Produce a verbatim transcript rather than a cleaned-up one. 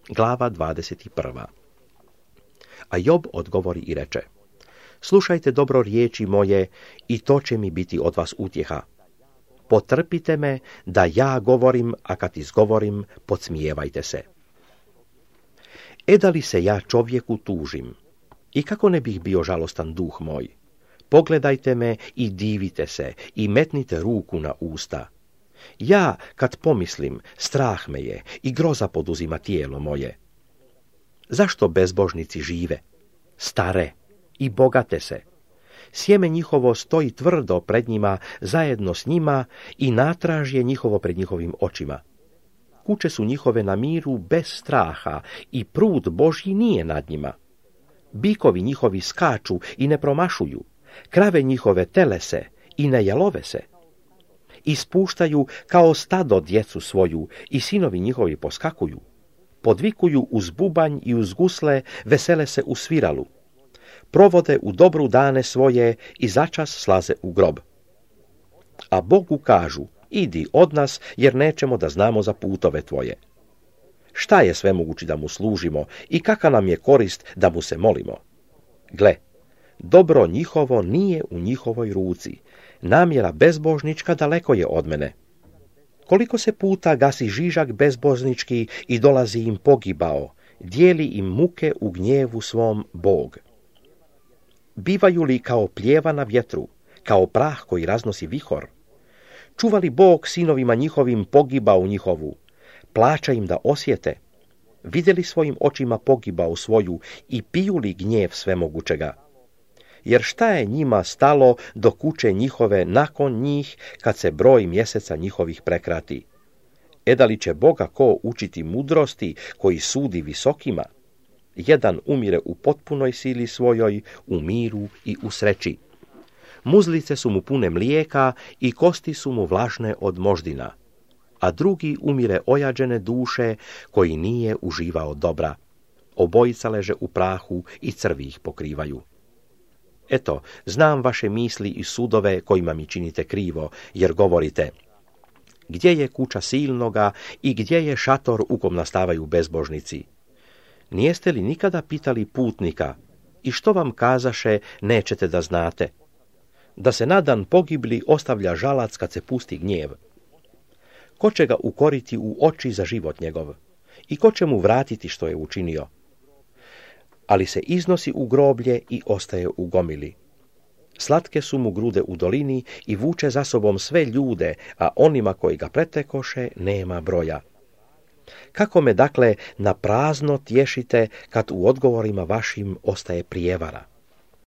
Glava dvadeset prva. A Job odgovori i reče: slušajte dobro riječi moje i to će mi biti od vas utjeha. Potrpite me da ja govorim, a kad izgovorim, podsmijevajte se. E da li se ja čovjeku tužim? I kako ne bih bio žalostan duh moj? Pogledajte me i divite se i metnite ruku na usta. Ja, kad pomislim, strah me je i groza poduzima tijelo moje. Zašto bezbožnici žive, stare i bogate se? Sjeme njihovo stoji tvrdo pred njima, zajedno s njima, i natraž je njihovo pred njihovim očima. Kuće su njihove na miru bez straha i prud Božji nije nad njima. Bikovi njihovi skaču i ne promašuju, krave njihove tele se i ne jalove se. Ispuštaju kao stado djecu svoju i sinovi njihovi poskakuju. Podvikuju uz bubanj i uz gusle, vesele se u sviralu. Provode u dobru dane svoje i začas slaze u grob. A Bogu kažu: idi od nas, jer nećemo da znamo za putove tvoje. Šta je svemogući da mu služimo i kakva nam je korist da mu se molimo? Gle, dobro njihovo nije u njihovoj ruci, namjera bezbožnička daleko je od mene. Koliko se puta gasi žižak bezbožnički i dolazi im pogibao, dijeli im muke u gnjevu svom Bog. Bivaju li kao pljeva na vjetru, kao prah koji raznosi vihor? Čuva li Bog sinovima njihovim pogibao njihovu? Plaća im da osjete? Vidjeli svojim očima pogibao svoju i piju li gnjev svemogućega? Jer šta je njima stalo do kuće njihove nakon njih, kad se broj mjeseca njihovih prekrati? E da li će Boga ko učiti mudrosti, koji sudi visokima? Jedan umire u potpunoj sili svojoj, u miru i u sreći. Muzlice su mu pune mlijeka i kosti su mu vlažne od moždina. A drugi umire ojađene duše, koji nije uživao dobra. Obojica leže u prahu i crvi ih pokrivaju. Eto, znam vaše misli i sudove kojima mi činite krivo, jer govorite: gdje je kuća silnoga i gdje je šator u kom nastavaju bezbožnici? Nijeste li nikada pitali putnika: i što vam kazaše, nećete da znate? Da se na dan pogibli ostavlja žalac kad se pusti gnjev. Ko će ga ukoriti u oči za život njegov? I ko će mu vratiti što je učinio? Ali se iznosi u groblje i ostaje u gomili. Slatke su mu grude u dolini i vuče za sobom sve ljude, a onima koji ga pretekoše nema broja. Kako me dakle na prazno tješite, kad u odgovorima vašim ostaje prijevara?